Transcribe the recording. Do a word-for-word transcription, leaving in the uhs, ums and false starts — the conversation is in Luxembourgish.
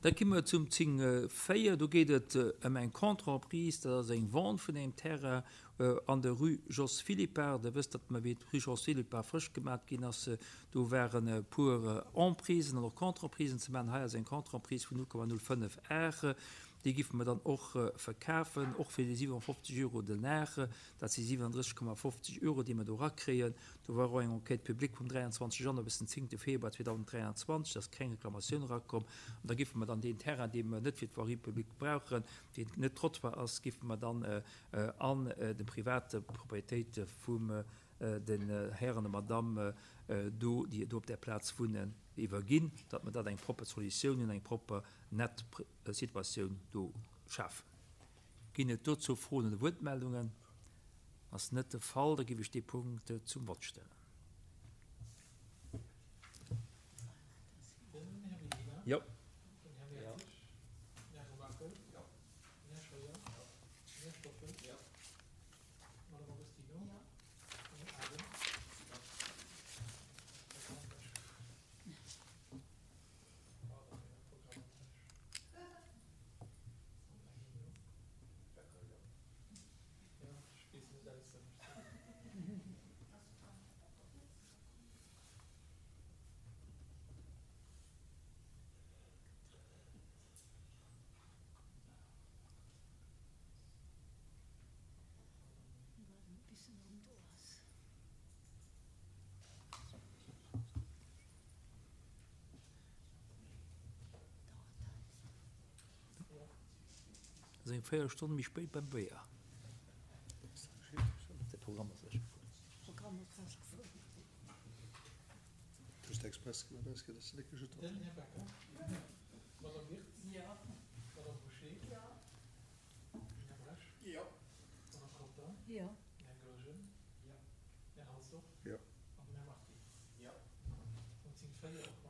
Da gi mer zum zéng véier. Do geet et ëm eng Contre-emprise, dat ass eng Vente vun engem Terrain an der Rue Jos Philippart. Der wësst, datt mer, wéi d'Rue Jos Philippart frësch gemat ginn ass, do waren e puer Emprisen an och Contre-emprisen ze maachen. Hei ass eng Contre-emprise vun null Komma null fënnef Ar. Déi giffe mer dann och verkafen, och fir déi siwenfofzeg Euro den Ar. Dat si siwenundrësseg Komma fofzeg Euro, déi mer do erakréien. Do war och eng Enquête publique vum dräianzwanzeg Januar bis den zéngte Februar zweedausenddräianzwanzeg. Da ass keng Reklamatioun erakomm. An da giffe mer dann deen Terrain, dee mer net fir d'Voirie publique brauchen, deen net Trottoir ass, giffe mer dann an de private Propriétéite vum den Hären a Madamm do, déi do op där Plaz wunnen, iwwerginn, datt mer dat eng propper Solutioun hunn, eng propper nett Situatioun do schafen. Ginn et dozou Froen oder Wuertmeldungen? Ass net de Fall, da géif ech dee Punkt zum Vott stellen. Den Här Medina. Jo. Den Här Mertzig. Den Här Remakel. Den Här Scheuer. Den Här Stoffel. D'Madame Agostino. Den Här Adehm. Ass eng Véierelstonn méi spéit beim Béier. De Programm ass lech gefuer. Du hues express gemaach, dass de net gejuddert Den Här Becker. D'Madame Wirtz. D'Madame Bouché. Den Här Bresch. D'Madame Conter. Den Här Goergen. Den Här Halsdorf. Jo. An den Här Martini. Punkt zéng véier och